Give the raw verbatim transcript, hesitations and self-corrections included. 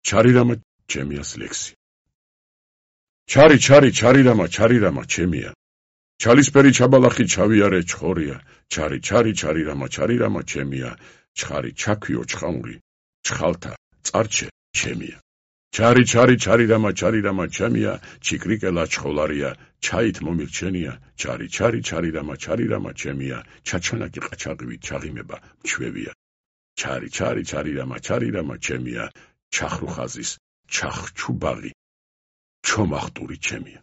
ჩარი რამა ჩემიას ლექსი. ჩარი, ჩარი, ჩარი რამა, ჩარი რამა, ჩემია. ჩალისფერი ჩაბალახი ჩავიარე ჩხორია. ჩარი, ჩარი, ჩარი რამა, ჩარი რამა, ჩემია. ჩხარი, ჩაქვიო, ჩხამური, ჩხალთა, წარჩე, ჩემია. ჩარი, ჩარი, ჩარი რამა, ჩარი რამა, ჩემია. ჩიკრიკელა ჩხოლარია, ჩაით მომირჩენია. ჩარი, ჩარი, ჩარი რამა, ჩარი რამა, ჩემია. ჩაჩანაკი ყაჩაღივით ჩაღიმება, მჩვევია. ჩარი, ჩარი, ჩარი რამა, ჩარი რამა, ჩემია. ჩახრუხაზის, ჩახჩუბაღი, ჩომახტური ჩემია.